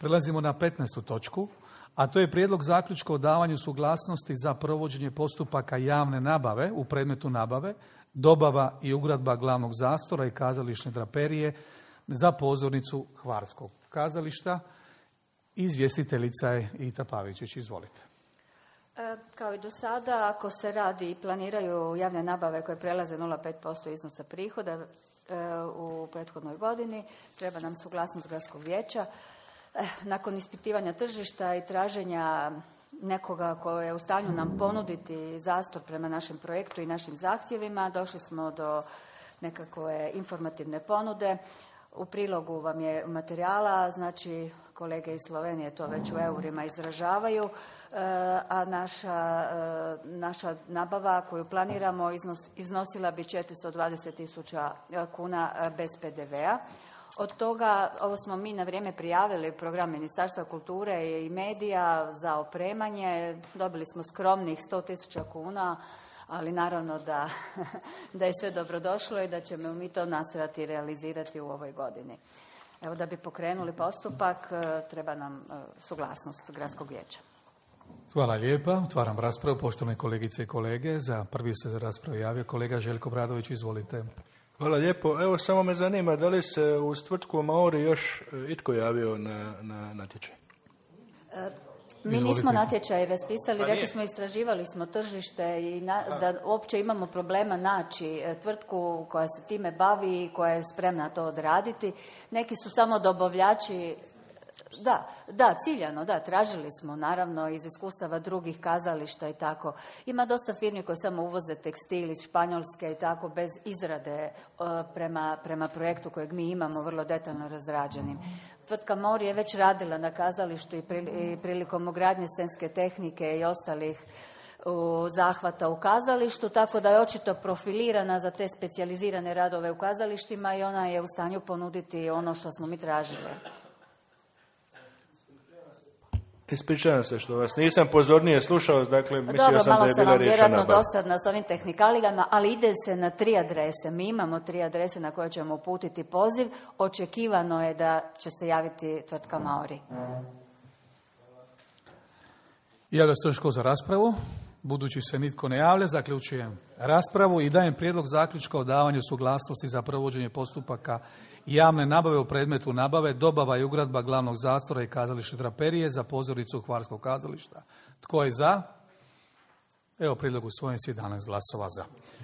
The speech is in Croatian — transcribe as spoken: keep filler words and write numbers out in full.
Prelazimo na petnaestu točku, a to je prijedlog zaključka o davanju suglasnosti za provođenje postupaka javne nabave u predmetu nabave, dobava i ugradba glavnog zastora i kazališne draperije za pozornicu Hvarskog kazališta. Izvjestiteljica je Ita Pavičić. Izvolite. E, kao i do sada, ako se radi i planiraju javne nabave koje prelaze nula zarez pet posto iznosa prihoda e, u prethodnoj godini, treba nam suglasnost gradskog vijeća. E, nakon ispitivanja tržišta i traženja nekoga ko je u stanju nam ponuditi zastor prema našem projektu i našim zahtjevima, došli smo do nekakve informativne ponude. U prilogu vam je materijala, znači kolege iz Slovenije to već u eurima izražavaju, a naša, naša nabava koju planiramo iznos, iznosila bi četiristo dvadeset tisuća kuna bez pe de vea. Od toga, ovo smo mi na vrijeme prijavili u program Ministarstva kulture i medija za opremanje, dobili smo skromnih sto tisuća kuna, ali naravno da, da je sve dobrodošlo i da ćemo mi to nastojati realizirati u ovoj godini. Evo, da bi pokrenuli postupak, treba nam suglasnost gradskog vijeća. Hvala lijepa. Otvaram raspravu. Poštovane kolegice i kolege, za prvi se za raspravu javio kolega Željko Bradović. Izvolite. Hvala lijepo. Evo, samo me zanima, da li se uz tvrtku Maori još itko javio na, na natječaj? E, Mi nismo natječaj raspisali, rekli smo istraživali smo tržište i na, da uopće imamo problema naći tvrtku koja se time bavi i koja je spremna to odraditi. Neki su samo dobavljači. Da, da, ciljano, da, tražili smo naravno iz iskustava drugih kazališta i tako. Ima dosta firmi koje samo uvoze tekstil iz Španjolske i tako bez izrade uh, prema, prema projektu kojeg mi imamo vrlo detaljno razrađenim. Tvrtka Mori je već radila na kazalištu i, pri, i prilikom ugradnje scenske tehnike i ostalih u zahvata u kazalištu, tako da je očito profilirana za te specijalizirane radove u kazalištima i ona je u stanju ponuditi ono što smo mi tražili. Ispričavam se što vas nisam pozornije slušao, dakle mislio Dobro, sam da je bila riješena. Dobro, malo sam vam vjerojatno dosadna s ovim tehnikalijama, ali ide se na tri adrese. Mi imamo tri adrese na koje ćemo uputiti poziv. Očekivano je da će se javiti tvrtka Maori. Javlja se još tko za raspravu? Budući se nitko ne javlja, zaključujem raspravu i dajem prijedlog zaključka o davanju suglasnosti za provođenje postupaka javne nabave u predmetu nabave, dobava i ugradba glavnog zastora i kazališne draperije za pozornicu Hvarskog kazališta. Tko je za? Evo, prijedlog usvojen s jedanaest glasova za.